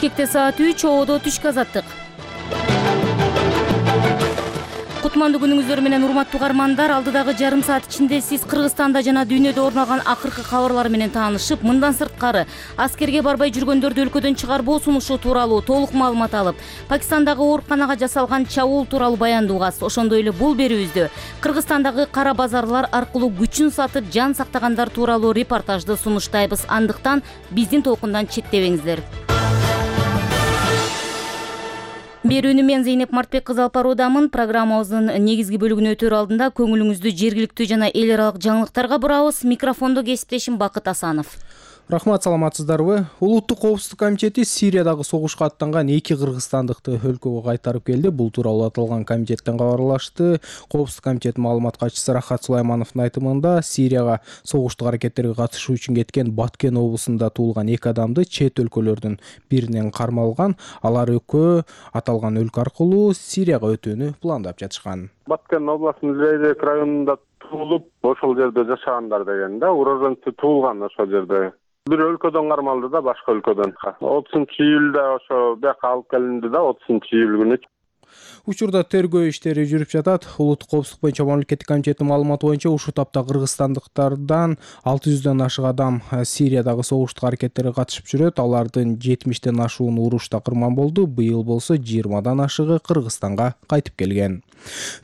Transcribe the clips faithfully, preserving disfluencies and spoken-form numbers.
Бишкекте саат үч, Ободо түшкү азаттык. Кутмандуу күнүңүздөр менен урматтуу угармандар, алдыдагы жарым саат ичинде сиз Кыргызстанда жана дүйнөдө орун алган акыркы кабарлар менен таанышып, мындан сырткары аскерге барбай жүргөндөрдү өлкөдөн чыгарбоо сунушу тууралуу толук маалымат алып, Пакистандагы ооруканага жасалган чабуул тууралуу баяндоо угасыз. Ошондой эле бул берүүбүздө Кыргызстандагы кара базарлар аркылуу күчүн сатып жан сактагандар тууралуу репортажды сунуштайбыз. Андыктан биздин толкундан четтебеңиздер. Берүүнү мен Зейнеп Мартбек кызы алып баруудамын. Программабыздын негизги бөлүгүнө өтөр алдында көңүлүңүздү жергиликтүү жана эл аралык жаңылыктарга бурабыз. Микрофондо кесиптешим Бакыт Асанов. Рахмат, саламатсыздарбы? Улуттук коопсуздук комитети Сириядагы согушка аттанган эки кыргызстандыкты өлкөгө кайтарып келди. Бул тууралуу аталган комитеттен кабарлашты. Коопсуздук комитет маалымат катчысы Рахат Сулаймановдун айтымында, Сирияга согуштук аракеттерге катышуу үчүн кеткен Баткен облусунда туулган эки адамды чет өлкөлөрдүн биринен кармалган. Алар экөө аталган өлкө аркылуу Сирияга өтүүнү пландап жатышкан. Баткен областынын Лейрек районунда туулуп, ошол жерде жашагандар деген да, уроженцы туулган ошол жерде. Бир өлкөдөн кармалды да, башка өлкөдөн. отузунчу июлда ошо бияка алып келинди да, отузунчу июль күнү. Учурда тергөө иштери жүрүп жатат. Улуттук коопсуздук боюнча мамлекеттик комитеттин маалыматы боюнча ушул тапта кыргызстандыктардан алты жүздөн ашык адам Сириядагы согуштук аракеттерге катышып жүрөт. Алардын жетимиштен ашууну урушта кырман болду. Быйыл болсо жыйырмадан ашыгы Кыргызстанга кайтып келген.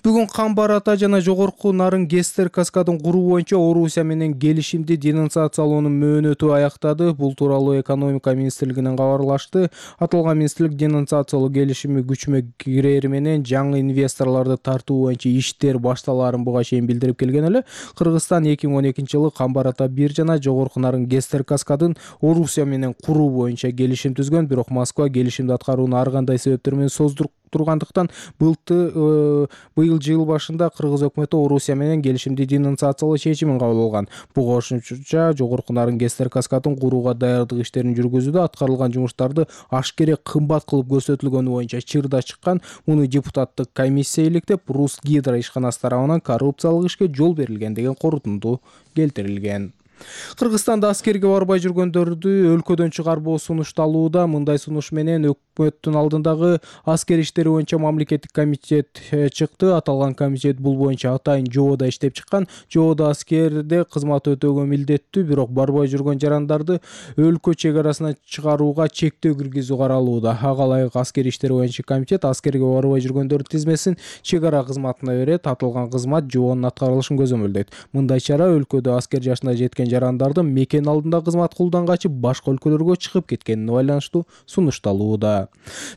Бүгүн Камбар Ата жана Жогорку Нарын Гестер каскадын куруу боюнча Орусия менен келишимди денонсациялоонун мөөнөтү аяктады. Бул тууралуу экономика министрлигинен кабарлашты. Аталган министрлик денонсациялоо келишими күчүмө кирери менен жаңы инвесторлорду тартуу боюнча иштер башталаарын буга чейин билдирип келген эле. Кыргызстан эки миң он экинчи жылы Камбар Ата бир жана Жогорку Нарын Гестер каскадын Орусия менен куруу боюнча келишим түзгөн, бирок Москва келишимди аткарууну ар кандай себептер менен создуруп тургандыктан былты быйыл жыл башында кыргыз өкмөтү Орусия менен келишимди денонсациялоо чечимин кабыл алган. Буга кошумча Жогорку Нарын Гестер каскадын курууга даярдык иштерин жүргүзүүдө аткарылган жумуштарды ашкере кымбат кылып көрсөтүлгөнү боюнча чырда чыккан. Муну депутаттык комиссия иликтеп, Рус Гидро ишканасы тарабынан коррупциялык ишке жол берилген деген корутунду келтирилген. Кыргызстанда аскерге барбай жүргөндөрдү өлкөдөн чыгарбоо сунушталууда. Мындай сунуш менен өкмөттүн алдындагы аскер иштери боюнча мамлекеттик комитет чыкты. Аталган комитет бул боюнча атайын жобода иштеп чыккан. Жобода аскерде кызмат өтөөгө милдеттүү, бирок барбай жүргөн жарандарды өлкө чек арасына чыгарууга чектөө киргизүү каралууда. Ага ылайык аскер иштери боюнча комитет аскерге барбай жүргөндөрдүн тизмесин чек ара кызматына берет. Аталган кызмат жобонун аткарылышын көзөмөлдөйт. Мындай чара өлкөдө аскер жашына жеткен жарандардын мекен алдында кызмат кылуудан качып башка өлкөлөргө чыгып кеткенине байланыштуу сунушталууда.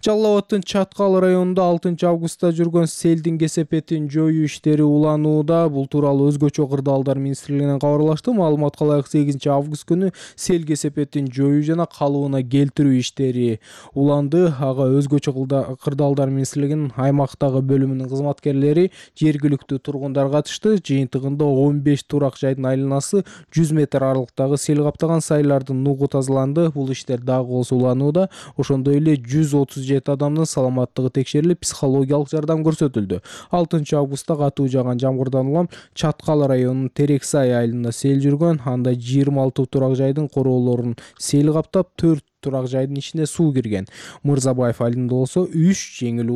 Жалал Абадтын Чаткал районунда алтынчы августта жүргөн селдин кесепетин жоюу иштери уланууда. Бул тууралуу өзгөчө кырдаалдар министрлигинен кабарлашты. Маалыматка ылайык сегизинчи август күнү сел кесепетин жоюу жана калыбына келтирүү иштери уланды. Ага өзгөчө кырдаалдар министрлигинин аймактагы бөлүмүнүн кызматкерлери, жергиликтүү тургундар катышты. Жыйынтыгында он беш турак жайдын айланасы жүз метр аралыктагы сел каптаган сайлардын нугу тазаланды. Бул иштер дагы болсо уланууда. Ошондой эле жүз отуз жети адамдын саламаттыгы текшерилип, психологиялык жардам көрсөтүлдү. алтынчы августта катуу жааган жамгырдан улам Чаткал районунун Терексай айылында сел жүргөн. Анда жыйырма алты турак жайдын короолорун сел каптап, төрт турак жайдын ичине суу кирген. Мырзабаев айылында болсо үч жеңил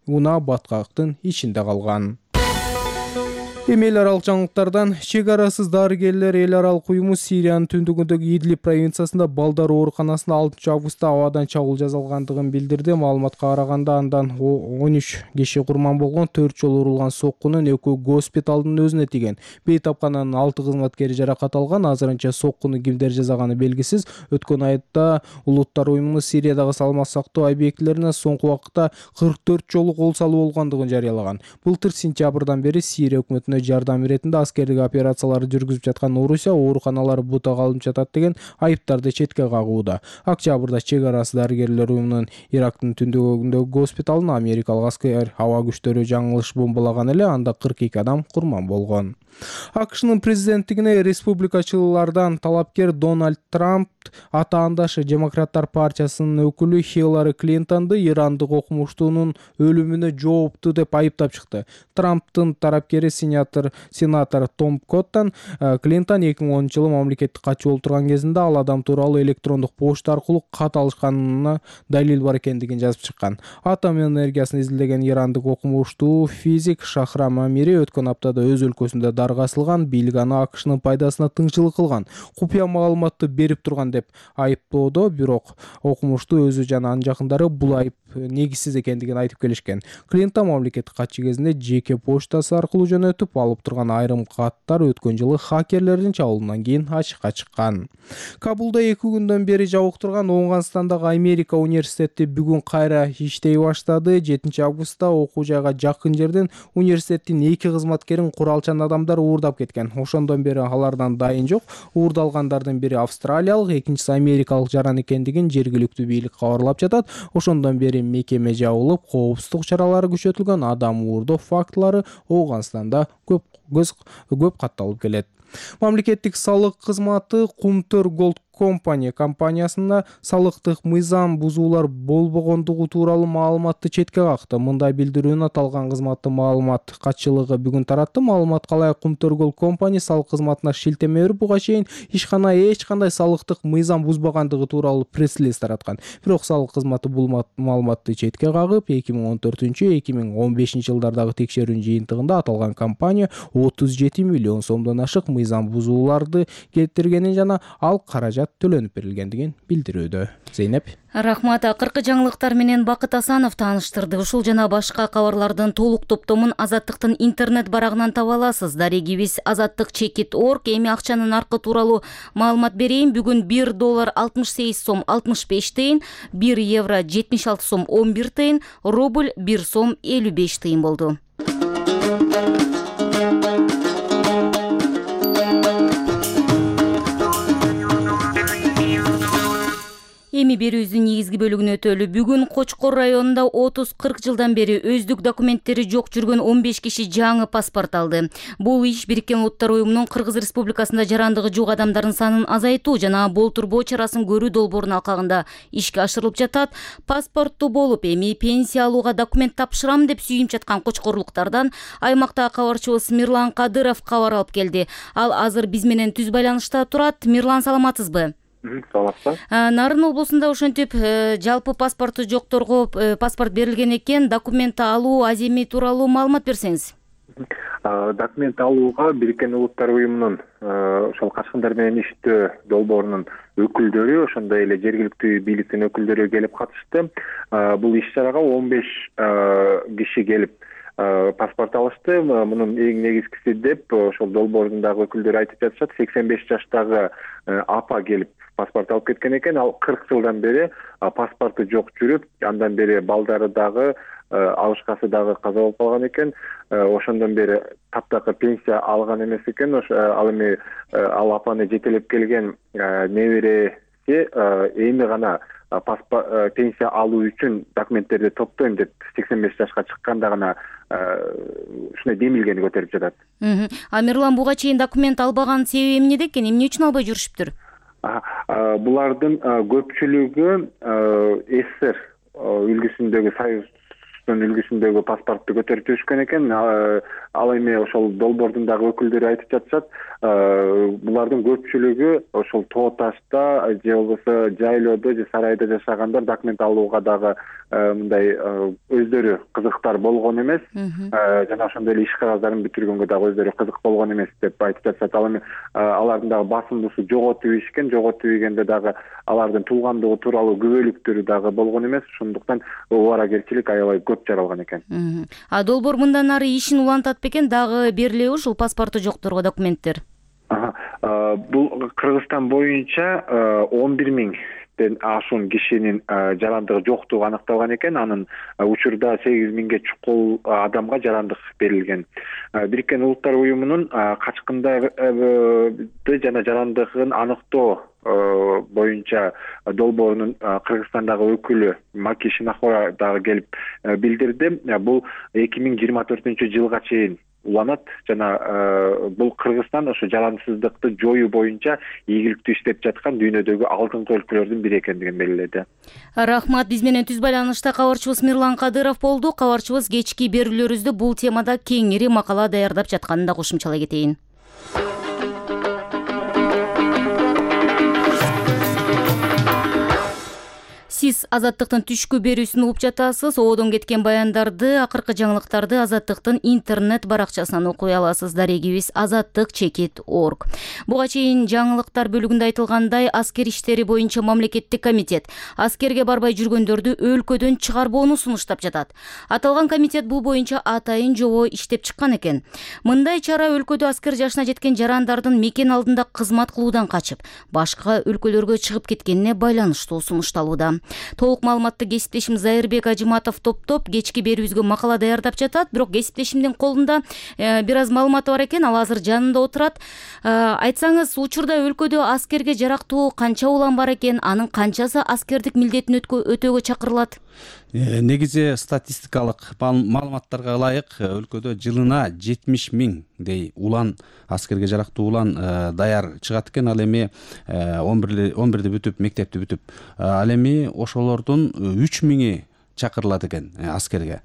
унаа баткактын ичинде калган. Эми эл аралык жаңылыктардан чек арасыз дарыгерлер эл аралык уюму Сириянын түндүгүндөгү Идлиб провинциясында балдар ооруканасында алтынчы августта абадан чабуул жасалгандыгын билдирди. Маалыматка караганда андан он үч киши курман болгон, төрт жолу урулган соккунун экөө госпиталдын өзүнө тийген. Бейтапкананын алты кызматкери жаракат алган. Азырынча соккуну кимдер жасаганы белгисиз. Өткөн айда Улуттар уюмунун Сириядагы саламат сактоо объектилерине соңку убакытта кырк төрт жолу кол салуу болгондугун жарыялаган. Былтыр сентябрдан бери Сирия өкмөтүнө жардам иретинде аскердик операцияларды жүргүзүп жаткан Орусия ооруканалары бутак алынып жатат деген айыптарды четке кагууда. Октябрда чек арасы дарыгерлер уюмунун Ирактын түндүгүндөгү госпиталын америкалык аскер аба күчтөрү жаңылыш бомбалаган эле. Анда кырк эки адам курман болгон. АКШнын президенттигине республикачылардан талапкер Дональд Трамп атаандашы Демократтар партиясынын өкүлү Хиллари Клинтонду ирандык окумуштуунун өлүмүнө жооптуу деп айыптап чыкты. Трамптын тарапкери сенатор сенатор Том Коттон Клинтон эки миң онунчу жылы мамлекеттик катчы болуп турган кезинде ал адам тууралуу электрондук почта аркылуу кат алышканына далил бар экендигин жазып чыккан. Атом энергиясын изилдеген ирандык окумуштуу физик Шахрам Амири өткөн аптада өз өлкөсүндө дарга асылган, бийлик аны АКШнын пайдасына тыңчылык кылган, купуя маалыматты берип турган деп айыптоодо, бирок окумуштуу өзү жана анын жакындары бул айып негизсиз экендигин айтып келишкен. Клинтон мамлекеттик катчы кезинде жеке почтасы аркылуу жөнөтүп алып турган айрым каттар өткөн жылы хакерлердин чабуулунан кийин ачыкка чыккан. Кабулда эки күндөн бери жабык турган Оңгонстандагы Америка университети бүгүн кайра иштей баштады. жетинчи августта окуу жайга жакын жерден университеттин эки кызматкерин куралчан адамдар уурдап кеткен. Ошондон бери алардан дайын жок. Уурдалгандардын бири австралиялык, экинчиси америкалык жаран экендигин жергиликтүү бийлик кабарлап жатат. Ошондон бери мекеме жабылып, коопсуздук чаралары күчөтүлгөн. Адам уурдоо фактылары Оңгонстанда көп көп катталып келет. Мамлекеттик салык кызматы Кумтөр Голд Company компаниясына салыктык мыйзам бузуулар болбогондугу тууралуу маалыматты четке какты. Мындай билдирүүнү аталган кызматтын маалымат катчылыгы бүгүн таратты. Маалымат калай Кумтөр Голд Company салык кызматына шилтеме берип, буга чейин ишкана эч кандай салыктык мыйзам бузбагандыгы тууралуу пресс-релиз тараткан. Бирок салык кызматы бул маалыматты четке кагып, эки миң он төртүнчү эки миң он бешинчи жылдардагы текшерүүнүн жыйынтыгында аталган компания отуз жети миллион сомдон ашык мыйзам бузууларды келтиргенин жана ал каражат төлөнүп берилгендигин билдирүүдө. Зейнеп. Рахмат. Акыркы жаңылыктар менен Бакыт Асанов тааныштырды. Ушул жана башка кабарлардын толук топтомун Азаттыктын интернет барагынан таба аласыз. Дарегибиз азаттык чекит точка орг. Эми акчанын наркы тууралуу маалымат берейин. Бүгүн бир доллар алтымыш сегиз сом алтымыш беш тыйын, бир евро жетимиш алты сом он бир тыйын, рубль бир сом элүү беш тыйын болду. Эми берүүбүздүн негизги бөлүгүнө өтөлү. Бүгүн Кочкор районунда отуз кырк жылдан бери өздүк документтери жок жүргөн он беш киши жаңы паспорт алды. Бул иш Бириккен Улуттар уюмунун Кыргыз Республикасында жарандыгы жок адамдардын санын азайтуу жана болтурбоо чарасын көрүү долбоорунун алкагында ишке ашырылып жатат. Паспорттуу болуп, эми пенсия алууга документ тапшырам деп сүйүнүп жаткан кочкорлуктардан аймактагы кабарчыбыз Мирлан Кадыров кабар алып келди. Ал азыр биз менен түз байланышта турат. Мирлан, саламатсызбы? Саламатсызбы. Нарын облусунда ошентип жалпы паспорту жокторго паспорт берилген экен. Документ алуу аземи тууралуу маалымат берсеңиз. Документ алууга Бириккен Улуттар уюмунун ошол качкындар менен иштөө долбоорунун өкүлдөрү, ошондой эле жергиликтүү бийликтин өкүлдөрү келип катышты. Бул иш-чарага он беш киши келип паспорт алышты. Мунун эң негизгиси деп ошол долбоордун дагы өкүлдөрү айтып жатышат. сексен беш жаштагы апа келип паспорт алып кеткен экен. Ал кырк жылдан бери паспорту жок жүрүп, андан бери балдары дагы, алышкасы дагы каза болуп калган экен. Ошондон бери таптакыр пенсия алган эмес экен. Ал эми ал апаны жетелеп келген небереси эми гана паспорт пенсия алуу үчүн документтерди топтойм деп сексен беш жашка чыкканда гана ушундай демилгени көтөрүп жатат. А Мирлан, буга чейин документ албаган себеби эмнеде экен? Эмне үчүн албай жүрүшүптүр? Булардын көпчүлүгү СССР үлгүсүндөгү, Союздун үлгүсүндөгү паспортду көтөрүп жүрүшкөн экен. Ал эми ошол долбоордун дагы өкүлдөрү айтып жатышат. Булардын көпчүлүгү ошол Тоо Ташта же болбосо жайлоодо же сарайда жашагандар документ алууга дагы мындай өздөрү кызыктар болгон эмес. Жана ошондой эле иш кагаздарын бүтүргөнгө дагы өздөрү кызык болгон эмес деп айтып жатышат. Ал эми алардын дагы басымдуусу жоготуп ийишкен, жоготуп ийгенде дагы алардын туулгандыгы тууралуу күбөлүктөрү дагы болгон эмес. Ошондуктан убаракерчилик аябай көп жаралган экен. А долбоор мындан ары ишин улантат бекен? Дагы берилеби ушул паспорту жокторго документтер? Бул Кыргызстан боюнча он бир миңден ашуун кишинин жарандыгы жоктугу аныкталган экен. Анын учурда сегиз миңге чукул адамга жарандык берилген. Бириккен Улуттар уюмунун качкындарды жана жарандыгын аныктоо боюнча долбоорунун Кыргызстандагы өкүлү Маки Шинахора дагы келип билдирди. Бул эки миң жыйырма төртүнчү жылга чейин уланат жана бул Кыргызстан ошо жарансыздыкты жоюу боюнча ийгиликтүү иштеп жаткан дүйнөдөгү алдыңкы өлкөлөрдүн бири экендигин белгиледи. Рахмат. Биз менен түз байланышта кабарчыбыз Мирлан Кадыров болду. Кабарчыбыз кечки берүүлөрүбүздө бул темада кеңири макала даярдап жатканын да кошумчалай кетейин. Сиз Азаттыктын түшкү берүүсүн угуп жатасыз. Оодон кеткен баяндарды, акыркы жаңылыктарды Азаттыктын интернет баракчасынан окуй аласыз. Дарегибиз азаттык чекит точка орг. Буга чейин жаңылыктар бөлүгүндө айтылгандай, аскер иштери боюнча мамлекеттик комитет аскерге барбай жүргөндөрдү өлкөдөн чыгарбоону сунуштап жатат. Аталган комитет бул боюнча атайын жобо иштеп чыккан экен. Мындай чара өлкөдө аскер жашына жеткен жарандардын мекен алдында кызмат кылуудан качып, башка өлкөлөргө чыгып кеткенине байланыштуу сунушталууда. Толук маалыматты кесиптешим Зайырбек Ажыматов топтоп кечки берүүбүзгө макала даярдап жатат. Бирок кесиптешимдин колунда э, бир аз маалыматы бар экен, ал азыр жанында отурат. Э, айтсаңыз, учурда өлкөдө аскерге жарактуу канча улан бар экен, анын канчасы аскердик милдетин өтөөгө чакырылат? Негизи статистикалык маалыматтарга ылайык өлкөдө жылына жетимиш миңдей улан, аскерге жарактуу улан даяр чыгат экен. Ал эми он бирди бүтүп, мектепти бүтүп, ал эми ошолордун үч миңи чакырылат экен аскерге.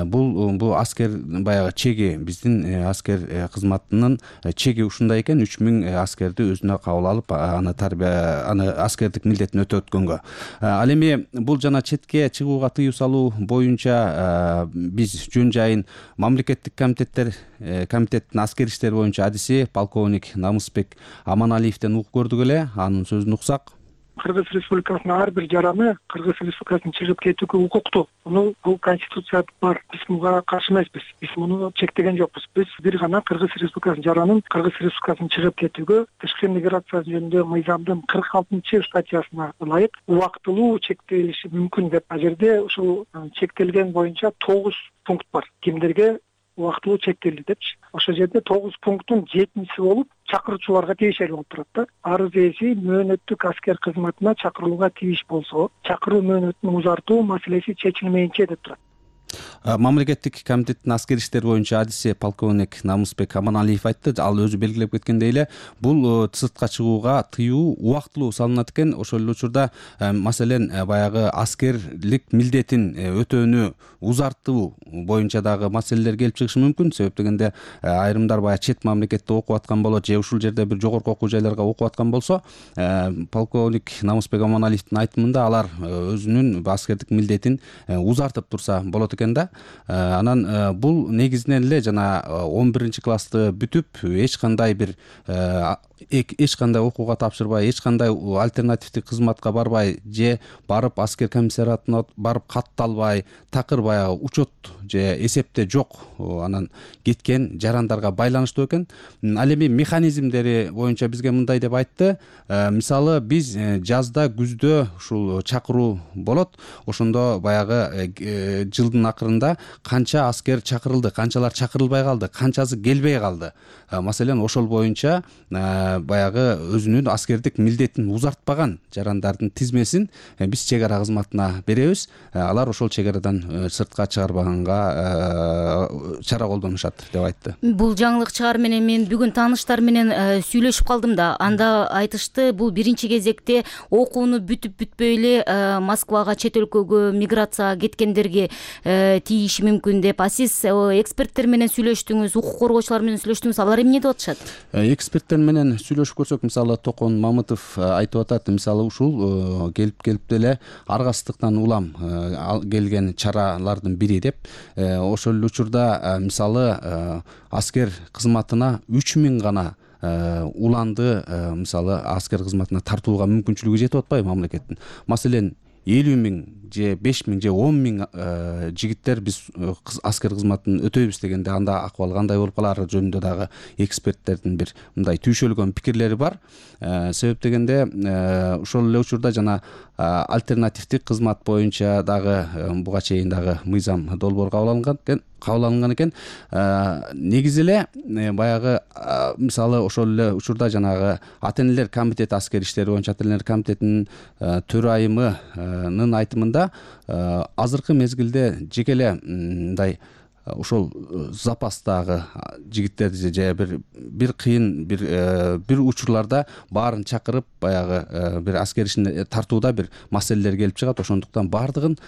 Бул бул аскер баягы чеги, биздин аскер кызматынын чеги ушундай экен. үч миң аскерди өзүнө кабыл алып, аны тарбия, аны аскердик милдетин өтөткөнгө. Ал эми бул жана четке чыгууга тыюу салуу боюнча биз жөн жайын мамлекеттик комитеттер комитеттин аскер иштери боюнча адиси полковник Намысбек Аманалиевден угуп көрдүк эле. Анын сөзүн уксак. Кыргыз Республикасынын ар бир жараны Кыргыз Республикасынан чыгып кетүүгө укуктуу. Муну бул конституцияда бар. Биз муга каршы эмеспиз. Биз муну чектеген жокпуз. Биз бир гана Кыргыз Республикасынын жаранын Кыргыз Республикасынан чыгып кетүүгө тышкы миграция жөнүндө мыйзамдын кырк алтынчы статьясына ылайык убактылуу чектелиши мүмкүн деп. А жерде ушул чектелген боюнча тогуз пункт бар. Кимдерге убактылуу чектелди депчи. Ошол жерде тогуз пункттун жетинчиси болуп чакыруучуларга тийиштүү болуп турат да. Арыз ээси мөөнөттүк аскер кызматына чакырылууга тийиш болсо, чакыруу мөөнөтүн узартуу маселеси чечилмейинче деп турат. Мамлекеттик комитеттин аскер иштери боюнча адиси полковник Намысбек Аманалиев айтты. Ал өзү белгилеп кеткендей эле, бул сыртка чыгууга тыюу убактылуу салынат экен. Ошол эле учурда маселен баягы аскерлик милдетин өтөөнү узартуу боюнча дагы маселелер келип чыгышы мүмкүн. Себеп дегенде айрымдар баягы чет мамлекетте окуп аткан болот, же ушул жерде бир жогорку окуу жайларга окуп аткан болсо, полковник Намысбек Аманалиевдин айтымында алар өзүнүн аскердик милдетин узартып турса болот экен да. Анан бул негизинен эле жана он биринчи классты бүтүп, эч кандай бир эч кандай окууга тапшырбай, эч кандай альтернативдик кызматка барбай, же барып аскер комиссариатына барып катталбай, такыр баягы учет же эсепте жок анан кеткен жарандарга байланыштуу экен. Ал эми механизмдери боюнча бизге мындай деп айтты. Мисалы, биз жазда, күздө ушул чакыруу болот. Ошондо баягы жылдын акырында канча аскер чакырылды, канчалар чакырылбай калды, канчасы келбей калды. Маселен, ошол боюнча баягы өзүнүн аскердик милдетин узартпаган жарандардын тизмесин биз чек ара кызматына беребиз. Алар ошол чек арадан сыртка чыгарбаганга чара колдонушат деп айтты. Бул жаңылык чыгар менен мен бүгүн тааныштар менен сүйлөшүп калдым да. Анда айтышты, бул биринчи кезекте окууну бүтүп бүтпөй эле Москвага, чет өлкөгө миграцияга кеткендерге тийиши мүмкүн деп. А сиз эксперттер менен сүйлөштүңүз, укук коргоочулар менен сүйлөштүңүз, алар эмне деп атышат? Эксперттер менен сүйлөшүп көрсөк, мисалы Токон Мамытов айтып атат, мисалы ушул келип келип деле аргасыздыктан улам келген чаралардын бири деп. Ошол эле учурда мисалы аскер кызматына үч миң гана уланды мисалы аскер кызматына тартууга мүмкүнчүлүгү жетип атпайбы мамлекеттин. Маселен, элүү миң же беш миң же он миң жигиттер биз аскер кызматын өтөйбүз дегенде, анда акыбал кандай болуп калары жөнүндө дагы эксперттердин бир мындай түйшөлгөн пикирлери бар. Себеп дегенде ошол эле учурда жана альтернативдик кызмат боюнча дагы буга чейин дагы мыйзам долбоор кабыл алынган экен кабыл алынган экен. Негизи эле баягы мисалы ошол эле учурда жанагы ата энелер комитети аскер иштери боюнча ата энелер комитетинин төрайымынын айтымында азыркы мезгилде жеке эле мындай ошол запастагы жигиттерди же бир бир кыйын бир бир учурларда баарын чакырып баягы бир аскер ишине тартууда бир маселелер келип чыгат. Ошондуктан баардыгын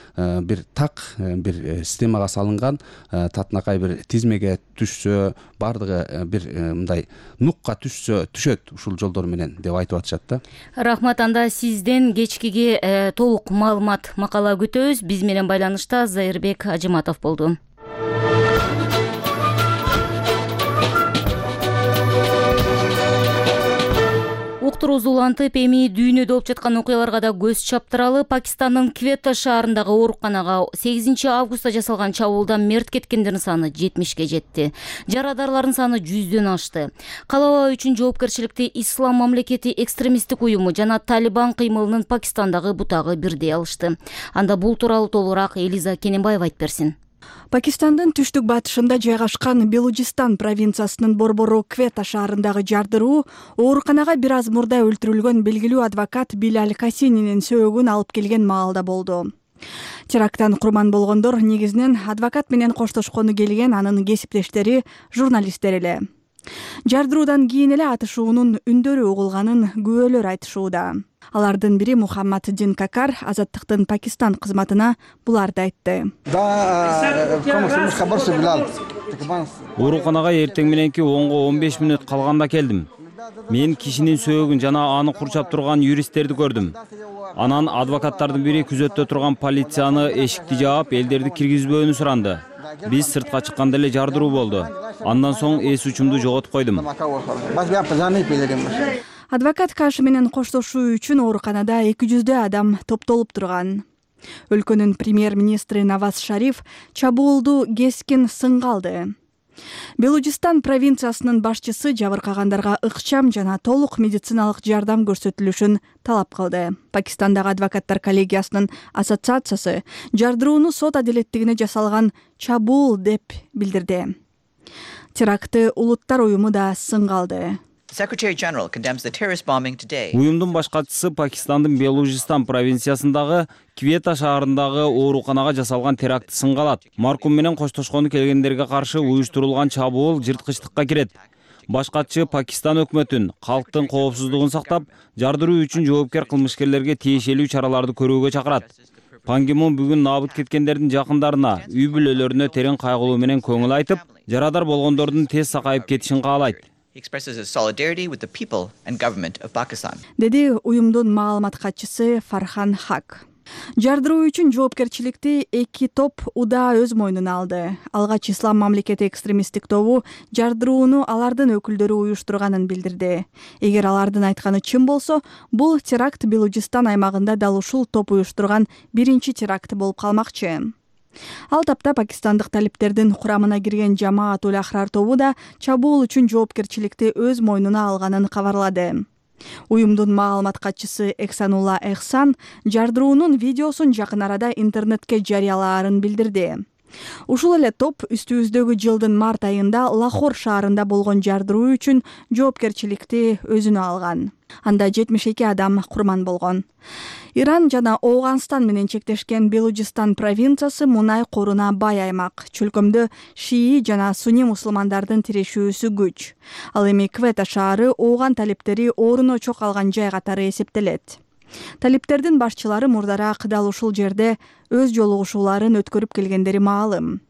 бир так бир системага салынган татынакай бир тизмеге түшсө, баардыгы бир мындай нукка түшсө түшөт ушул жолдор менен деп айтып атышат да. Рахмат. Анда сизден кечкиге толук маалымат макала күтөбүз. Биз менен байланышта Зайырбек Ажыматов болду. Уктуруз улантып, эми дүйнөдө болуп жаткан окуяларга да көз чаптыралы. Пакистандын Квета шаарындагы ооруканага сегизинчи августта жасалган чабуулдан мерт кеткендердин саны жетимишке жетти. Жарадарлардын саны жүздөн ашты. Калабаа үчүн жоопкерчиликти Ислам мамлекети экстремисттик уюму жана Талибан кыймылынын Пакистандагы бутагы бирдей алышты. Анда бул тууралуу толугураак Элиза Кененбаева айтып берсин. Пакистандын түштүк батышында жайгашкан Белужистан провинциясынын борбору Квета шаарындагы жардыруу ооруканага бир аз мурда өлтүрүлгөн белгилүү адвокат Билаль Касининин сөөгүн алып келген маалда болду. Теракттан курман болгондор негизинен адвокат менен коштошкону келген анын кесиптештери, журналисттер эле. Жардыруудан кийин эле атышуунун үндөрү угулганын күбөлөр айтышууда. Алардын бири Мухаммаддин Какар Азаттыктын Пакистан кызматына буларды айтты. Ооруканага эртең мененки онго он беш мүнөт калганда келдим. Мен кишинин сөөгүн жана аны курчап турган юристтерди көрдүм. Анан адвокаттардын бири күзөттө турган полицияны эшикти жаап, элдерди киргизбөөнү суранды. Биз сыртка чыкканда эле жардыруу болду. Андан соң эс учумду жоготуп койдум. Адвокат Каш менен коштошуу үчүн ооруканада эки жүздөй адам топтолуп турган. Өлкөнүн премьер-министри Наваз Шариф чабуулду кескин сынга алды. Белужистан провинциясынын башчысы жабыркагандарга ыкчам жана толук медициналык жардам көрсөтүлүшүн талап кылды. Пакистандагы адвокаттар коллегиясынын ассоциациясы жардырууну сот адилеттигине жасалган чабуул деп билдирди. Терактты улуттар уюму да сынга алды. Уюмдун баш катчысы Пакистандын Белужистан провинциясындагы Квета шаарындагы ооруканага жасалган терактты сынга алат. Маркум менен коштошкону келгендерге каршы уюштурулган чабуул жырткычтыкка кирет. Баш катчы Пакистан өкмөтүн калктын коопсуздугун сактап, жардыруу үчүн жоопкер кылмышкерлерге тиешелүү чараларды көрүүгө чакырат. Пан Ги Мун бүгүн набыт кеткендердин жакындарына, үй бүлөлөрүнө терең кайгылуу менен көңүл айтып, жарадар болгондордун тез сакайып кетишин каалайт. Деди уюмдун маалымат катчысы Фархан Хак. Жардыруу үчүн жоопкерчиликти эки топ удаа өз мойнуна алды. Алгач Ислам мамлекети экстремисттик тобу жардырууну алардын өкүлдөрү уюштурганын билдирди. Эгер алардын айтканы чын болсо, бул теракт Белужистан аймагында дал ушул топ уюштурган биринчи теракт болуп калмакчы. Ал тапта пакистандык талиптердин курамына кирген Жамаат уль Ахрар тобу да чабуул үчүн жоопкерчиликти өз мойнуна алганын кабарлады. Уюмдун маалымат катчысы Эксанулла Эхсан жардыруунун видеосун жакын арада интернетке жарыялаарын билдирди. Ушул эле топ үстүбүздөгү жылдын март айында Лахор шаарында болгон жардыруу үчүн жоопкерчиликти өзүнө алган. Анда жетимиш эки адам курман болгон. Иран жана Ооганстан менен чектешкен Белужистан провинциясы мунай коруна бай аймак. Чөлкөмдө шии жана суни мусулмандардын тирешүүсү күч. Ал эми Квета шаары Ооган талиптери орун очок алган жай катары эсептелет. Талиптердин башчылары мурдараак дал ушул жерде өз жолугушууларын өткөрүп келгендери маалым.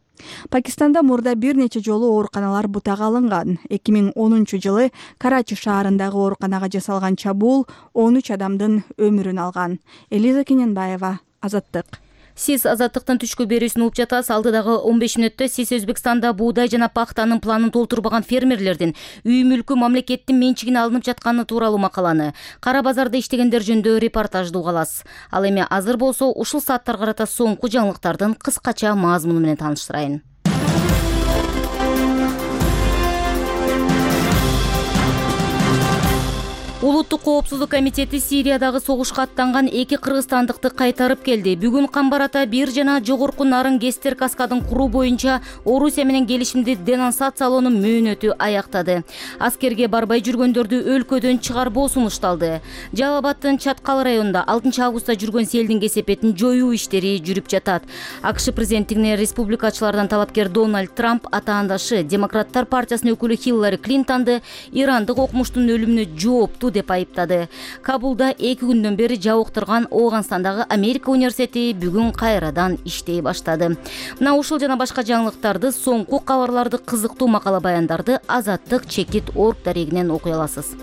Пакистанда мурда бир нече жолу ооруканалар бутага алынган. эки миң онунчу жылы Карачи шаарындагы ооруканага жасалган чабуул он үч адамдын өмүрүн алган. Элиза Кененбаева, Азаттык. Сиз Азаттыктын түшкү берүүсүн угуп жатасыз. Алдыдагы он беш мүнөттө сиз Өзбекстанда буудай жана пахтанын планын толтурбаган фермерлердин үй мүлкү мамлекеттин менчигине алынып жатканы тууралуу макаланы, кара базарда иштегендер жөнүндө репортажды уга аласыз. Ал эми азыр болсо ушул сааттар карата соңку жаңылыктардын кыскача мазмуну менен тааныштырайын. Улуттук коопсуздук комитети Сириядагы согушка аттанган эки кыргызстандыкты кайтарып келди. Бүгүн Камбар ата бир жана жогорку Нарын Гестер каскадын куруу боюнча Орусия менен келишимди денонсациялоонун мөөнөтү аяктады. Аскерге барбай жүргөндөрдү өлкөдөн чыгарбоо сунушталды. Жалал Абаддын Чаткал районунда алтынчы августта жүргөн селдин кесепетин жоюу иштери жүрүп жатат. АКШ президенттигине республикачылардан талапкер Дональд Трамп атаандашы Демократтар партиясынын өкүлү Хиллари Клинтонду ирандык окумуштун өлүмүнө жооптуу деп айыптады. Кабулда эки күндөн бери жабыктырган Ооганстандагы Америка университети бүгүн кайрадан иштей баштады. Мына ушул жана башка жаңылыктарды, соңку кабарларды, кызыктуу макала баяндарды Азаттык чекит точка орг дарегинен окуй аласыз.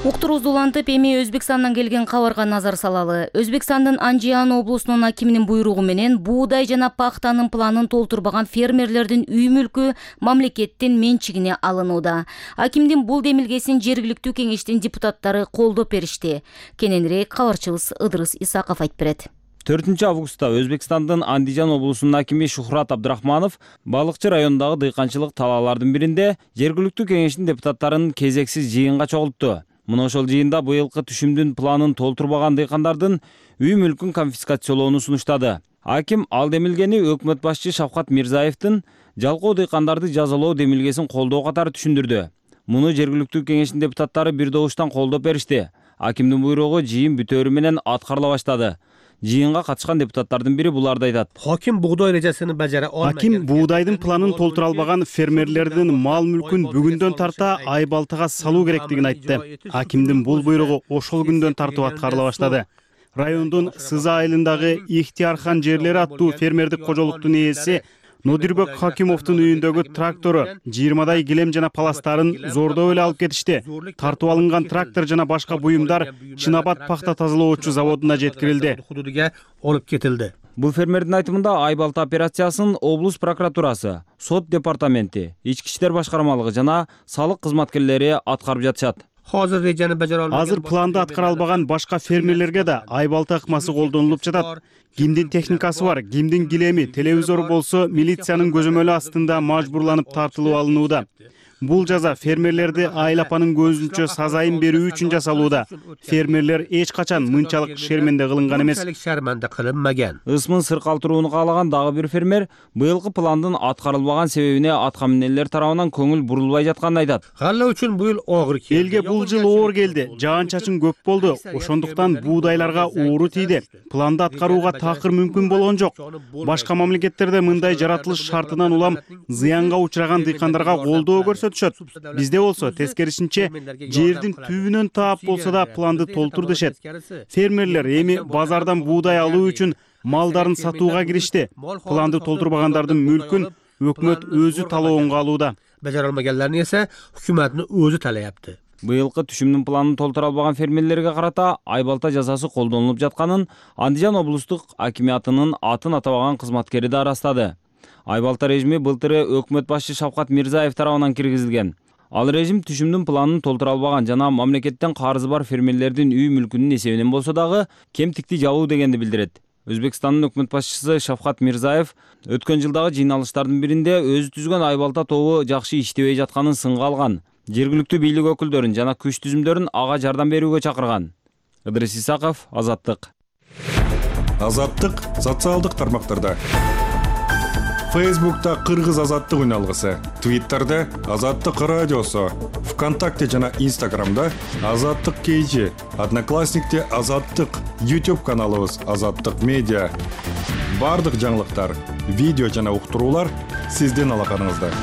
Уктуруубузду улантып, эми Өзбекстандан келген кабарга назар салалы. Өзбекстандын Анжиан облусунун акиминин буйругу менен буудай жана пахтанын планын толтурбаган фермерлердин үй мүлкү мамлекеттин менчигине алынууда. Акимдин бул демилгесин жергиликтүү кеңештин депутаттары колдоп беришти. Кененирээк кабарчыбыз Ыдырыс Исаков айтып берет. төртүнчү августта Өзбекстандын Андижан облусунун акими Шухрат Абдрахманов Балыкчы районундагы дыйканчылык талаалардын биринде жергиликтүү кеңештин депутаттарын кезексиз жыйынга чогултту. Мына ошол жыйында быйылкы түшүмдүн планын толтурбаган дыйкандардын үй мүлкүн конфискациялоону сунуштады. Аким ал демилгени өкмөт башчы Шавкат Мирзаевдин жалкоо дыйкандарды жазалоо демилгесин колдоо катары түшүндүрдү. Муну жергиликтүү кеңештин депутаттары бир добуштан колдоп беришти. Акимдин буйругу жыйын бүтөөрү менен аткарыла баштады. Жыйынга катышкан депутаттардын бири буларды айтат. Хаким бугдай режасын бажара алмаган. Аким буудайдын планын толтура албаган фермерлердин мал мүлкүн бүгүндөн тарта Айбалтыга салуу керектигин айтты. Акимдин бул буйругу ошол күндөн тартып аткарыла баштады. Райондун Сыза айылындагы Ихтиярхан жерлери аттуу фермердик кожолуктун ээси Нодирбек Хакимовдун үйүндөгү трактору жыйырмадай килем жана паластарын зордоп эле алып кетишти. Тартып алынган трактор жана башка буюмдар Чынабад пахта тазалоочу заводуна жеткирилди. Олуп кетилди. Бул фермердин айтымында Айбалта операциясын облус прокуратурасы, сот департаменти, ички иштер башкармалыгы жана салык кызматкерлери аткарып жатышат. Азыр планды аткара албаган башка фермерлерге да Айбалта ыкмасы колдонулуп жатат. Кимдин техникасы бар, кимдин килеми, телевизор болсо милициянын көзөмөлү астында мажбурланып тартылып алынууда. Бул жаза фермерлерди Айыл апанын көзүнчө сазайын берүү үчүн жасалууда. Фермерлер эч качан мынчалык шерменде кылынган эмес. Ысмын сыркалтырууну каалаган дагы бир фермер быйылкы пландын аткарылбаган себебине атка минелер тарабынан көңүл бурулбай жатканын айтат. Галла үчүн бул оор келди. Элге бул жыл оор келди. Жаан-чачын көп болду. Ошондуктан буудайларга оору тийди. Планды аткарууга такыр мүмкүн болгон жок. Башка мамлекеттерде мындай жаратылыш шартынан улам зыянга учураган дыйкандарга колдоо көрсөтүшөт. Бизде болсо тескерисинче жердин түбүнөн таап болсо да планды толтур дешет. Фермерлер эми базардан буудай алуу үчүн малдарын сатууга киришти. Планды толтурбагандардын мүлкүн өкмөт өзү талоонго алууда. Бажара албаганларны эсе өкмөттүн өзү талаяпты. Быйылкы түшүмдүн планын толтура албаган фермерлерге карата Айбалта жазасы колдонулуп жатканын Андижан облустук акимиятынын атын атабаган кызматкери да ырастады. Айбалта режими былтыры өкмөт башчы Шавкат Мирзаев тарабынан киргизилген. Ал режим түшүмдүн планын толтура албаган жана мамлекеттен карызы бар фермерлердин үй мүлкүнүн эсебинен болсо дагы кемтикти жабуу дегенди билдирет. Өзбекстандын өкмөт башчысы Шавкат Мирзаев өткөн жылдагы жыйналыштардын биринде өзү түзгөн Айбалта тобу жакшы иштебей жатканын сынга алган. Жергиликтүү бийлик өкүлдөрүн жана күч түзүмдөрүн ага жардам берүүгө чакырган. Ыдырыс Исаков, Азаттык. Азаттык социалдык тармактарда. Фейсбукта Кыргыз азаттык үналгысы, Твиттерде Азаттык радиосу, ВКонтакте жана Инстаграмда Азаттык кейжи, Одноклассникте Азаттык, YouTube каналыбыз Азаттык медиа. Бардык жаңылыктар, видео жана уктуруулар сиздин алаканыңызда.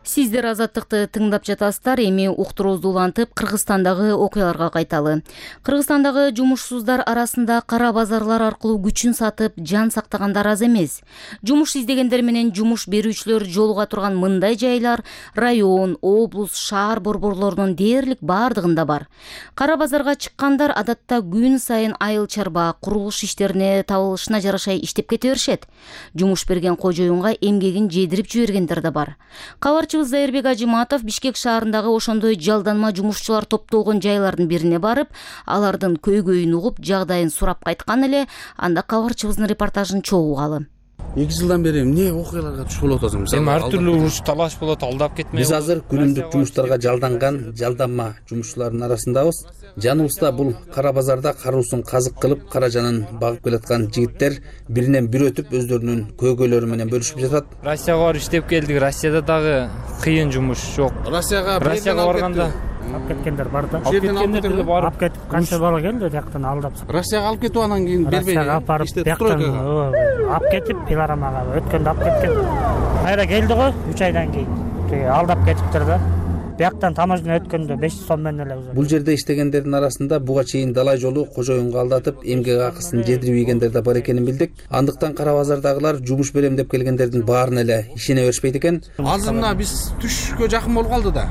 Сиздер Азаттыкты тыңдап жатасыздар. Эми уктуруубузду улантып, Кыргызстандагы окуяларга кайталы. Кыргызстандагы жумушсуздар арасында кара базарлар аркылуу күчүн сатып, жан сактагандар аз эмес. Жумуш издегендер менен жумуш берүүчүлөр жолуга турган мындай жайлар район, облус, шаар борборлорунун дээрлик бардыгында бар. Кара базарга чыккандар адатта күн сайын айыл чарба, курулуш иштерине табылышына жараша иштеп кете беришет. Жумуш берген кожоюнга эмгегин жедирип жибергендер да бар. Кабарчыбыз Зайырбек Ажиматов Бишкек шаарындагы ошондой жалданма жумушчулар топтолгон жайлардын бирине барып, алардын көйгөйүн угуп, жагдайын сурап кайткан эле. Анда кабарчыбыздын репортажын чогуу угалы. эки жылдан бери эмне окуяларга туш болуп атасың? Эми ар түрдүү уруш талаш болот, алдап кетмей. Биз азыр күнүмдүк жумуштарга жалданган жалданма жумушчулардын арасындабыз. Жаныбызда бул кара базарда каруусун казык кылып кара жанын багып келаткан жигиттер биринен бир өтүп өздөрүнүн көйгөйлөрү менен бөлүшүп жатат. Россияга барып иштеп келдик. Россияда дагы кыйын жумуш жок. Россияга Россияга барганда алып кеткендер бар да. Алып кеткендер бар. Алып кетип канча бала келди жактан алдап. Россияга алып кетип анан кийин бербей. Россияга алып барып жактан алып кетип пилорамага өткөндө алып кеткен. Кайра келди го үч айдан кийин. Алдап кетиптир да. Бияктан таможня өткөндө беш жүз сом менен эле узат. Бул жерде иштегендердин арасында буга чейин далай жолу кожоюнга алдатып эмгек акысын жедирип ийгендер да бар экенин билдик. Андыктан кара базардагылар жумуш берем деп келгендердин баарына эле ишене беришпейт экен. Азыр мына биз түшкө жакын болуп калды да.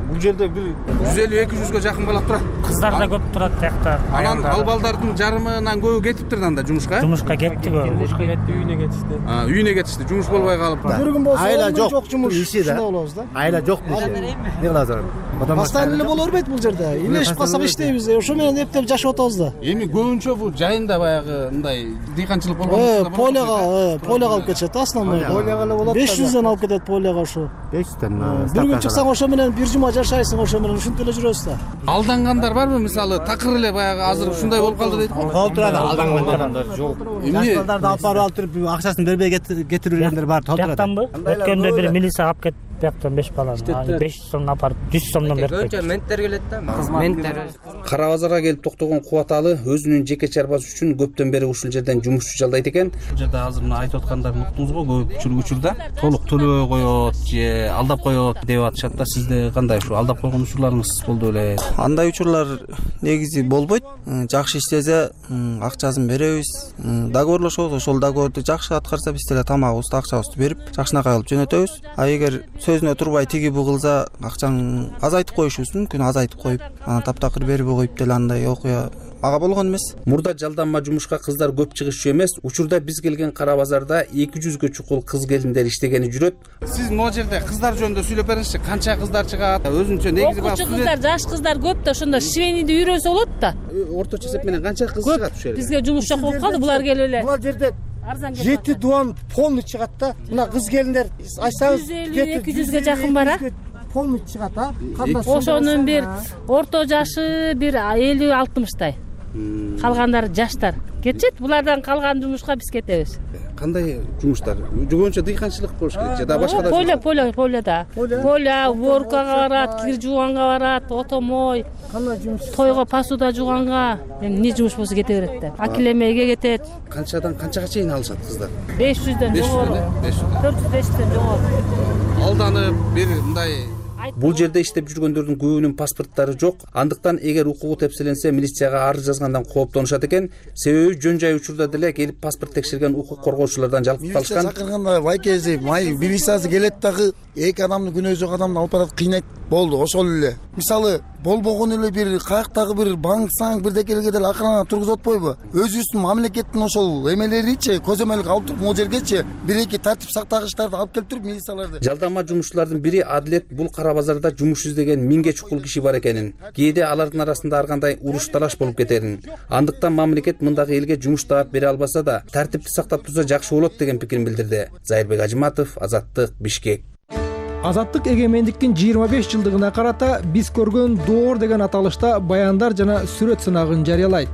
Бул жерде бир жүз элүү эки жүзгө жакын бала турат. Кыздар да көп турат тиякта. Анан ал балдардын жарымынан көбү кетиптир да анда жумушка. Жумушка кетти го. Жумушка кетти, үйүнө кетишти. А, үйүнө кетишти. Жумуш болбой калып. Айла жок жумуш иши да. Айла жок бул. Не кыласың? Постоянно эле боло бербейт бул жерде. Илешип калсак иштейбиз. Ошо менен эптеп жашап атабыз да. Эми көбүнчө бул жайында баягы мындай дыйканчылык болгон. Поляга, поляга алып кетишет основной. Поляга эле болот. беш жүздөн алып кетет поляга ошо. беш жүздөн. Бир күн чыксаң ошо менен бир жума жашайсың, ошо менен ушинтип эле жүрөбүз да. Алдангандар барбы? Мисалы такыр эле баягы азыр ушундай болуп калды дейт. Болуп турат, алдангандар жок. Эмне? Балдарды алып барып алып туруп акчасын бербей кетирүүгөндөр бар. Жактанбы? Өткөндө бир милиция алып кетип бияктан беш баланы беш жүз сомдон алып жүз сомдон берип койду. Менттер келет да. Менттер. Кара базарга келип токтогон Кубаталы өзүнүн жеке чарбасы үчүн көптөн бери ушул жерден жумушчу жалдайт экен. Бул жерде азыр мына айтып аткандарын уктуңуз го, көп учурда толук төлөбөй коет же алдап коет деп атышат да. Сизде кандай ушу алдап койгон учурларыңыз болду беле? Андай учурлар негизи болбойт. Жакшы иштесе акчасын беребиз. Договорлошобуз, ошол договорду жакшы аткарса биз деле тамагыбызды, акчабызды берип, жакшынакай кылып жөнөтөбүз. А эгер сөзүнө турбай тиги бу кылса, акчаң азайтып коюшубуз мүмкүн, азайтып коюп, анан таптакыр бербей коюп деле андай окуя ага болгон эмес. Мурда жалданма жумушка кыздар көп чыгышчу эмес. Учурда биз келген кара базарда эки жүзгө чукул кыз келиндер иштегени жүрөт. Сиз могу жерде кыздар жөнүндө сүйлөп бериңизчи. Канча кыздар чыгат? Өзүнчө негизи бар. Окуучу кыздар, жаш кыздар көп да, ошондо швейныйды үйрөнсө болот да. Орточо эсеп менен канча кыз чыгат ушул жерде? Бизге жумуш жок болуп калды, булар келип эле. Бул жерде жети дуан полный чыгат да. Мына кыз келиндер айтсаңыз жүз элүү эки жүзгө жакын бар а. Полный чыгат а. Ошонун бир орто жашы бир элүү алтымыштай. Калгандары жаштар. Кетет, булардан калган жумушка биз кетебиз. Кандай жумуштар? Жогончо дыйканчылык болуш керек же да башка да? Поля, поля, поляда. Поля, уборкага барат, кир жууганга барат, отомой. Кандай жумуш? Тойго посуда жууганга, эмне жумуш болсо кете берет да. Акилемейге кетет. Канчадан канчага чейин алышат кыздар? беш жүздөн жогору. төрт жүз беш жүздөн жогору. Алданып бир мындай. Бул жерде иштеп жүргөндөрдүн көбүнүн паспорттары жок. Андыктан эгер укугу тепселенсе, милицияга арыз жазгандан кооптонушат экен. Себеби жөн жай учурда деле келип паспорт текшерген укук коргоочулардан жалкып калышкан. Милиция чакырганда байкези, май милициясы келет дагы эки адамды күнөө жок адамды алып барат, кыйнайт. Болду, ошол эле. Мисалы, болбогон эле бир каяктагы бир банксаң бирдекелерге деле акырына тургузуп атпайбы? Өзүбүздүн мамлекеттин ошол эмелеричи, көзөмөлгө алып туруп, могу жергечи бир эки тартип сактагычтарды алып келип туруп милицияларды. Жалданма жумушчулардын бири Адилет бул кара базарда жумуш издеген миңге чукул киши бар экенин, кээде алардын арасында ар кандай уруш талаш болуп кетерин. Андыктан мамлекет мындагы элге жумуш таап бере албаса да, тартипти сактап турса жакшы болот деген пикирин билдирди. Зайырбек Ажыматов, Азаттык, Бишкек. Азаттык эгемендиктин жыйырма беш жылдыгына карата биз көргөн доор деген аталышта баяндар жана сүрөт сынагын жарыялайт.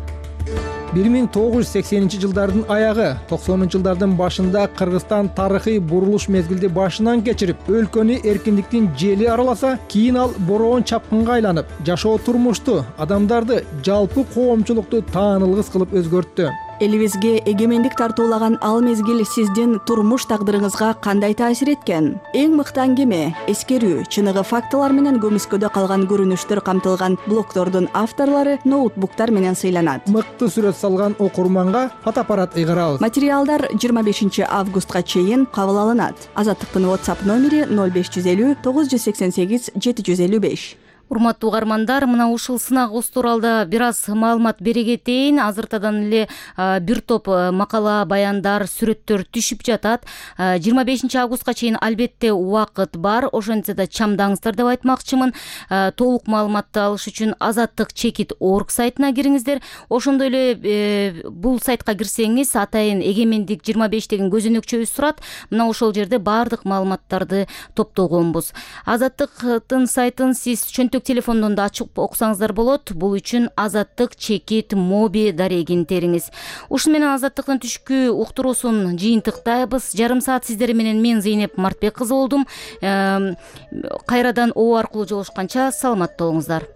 бир миң тогуз жүз сексенинчи жылдардын аягы, токсонунчу жылдардын башында Кыргызстан тарыхый бурулуш мезгилди башынан кечирип, өлкөнү эркиндиктин жели араласа, кийин ал бороон чапкынга айланып, жашоо турмушту, адамдарды, жалпы коомчулукту таанылгыс кылып өзгөрттү. Элибизге эгемендик тартуулаган ал мезгил сиздин турмуш тагдырыңызга кандай таасир эткен? Эң мыкты аңгеме, эскерүү, чыныгы фактылар менен көмүскөдө калган көрүнүштөр камтылган блогдордун авторлору ноутбуктар менен сыйланат. Мыкты сүрөт салган окурманга фотоаппарат ыйгарабыз. Материалдар жыйырма бешинчи августка чейин кабыл алынат. Азаттыктын WhatsApp номери ноль беш жүз элүү тогуз жүз сексен сегиз жети жүз элүү беш. Урматтуу угармандар, мына ушул сынагыбыз тууралуу бир аз маалымат бере кетейин. Азыртадан эле бир топ макала, баяндар, сүрөттөр түшүп жатат. жыйырма бешинчи августка чейин албетте убакыт бар. Ошентсе да чамдаңыздар деп айтмакчымын. Толук маалыматты алыш үчүн азаттык чекит точка орг сайтына кириңиздер. Ошондой эле бул сайтка кирсеңиз атайын эгемендик жыйырма беш деген көзөнөкчөбүз турат. Мына ошол жерде баардык маалыматтарды топтогонбуз. Азаттыктын сайтын сиз чөнтөк телефондон да ачып окусаңыздар болот. Бул үчүн азаттык чекит моби дарегин териңиз. Ушуну менен азаттыктын түшкү уктуруусун жыйынтыктайбыз. Жарым саат сиздер менен мен Зейнеп Мартбек кызы болдум. Кайрадан о аркылуу жолугушканча саламатта болуңуздар.